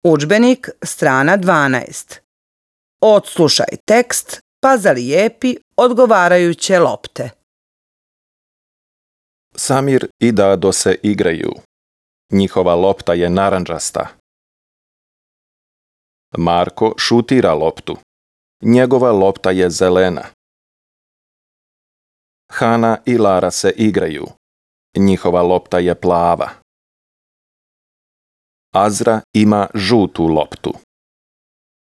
Udžbenik, strana 12. Odslušaj tekst pa zalijepi odgovarajuće lopte. Samir i Dado se igraju. Njihova lopta je narandžasta. Marko šutira loptu. Njegova lopta je zelena. Hana i Lara se igraju. Njihova lopta je plava. Azra ima žutu loptu.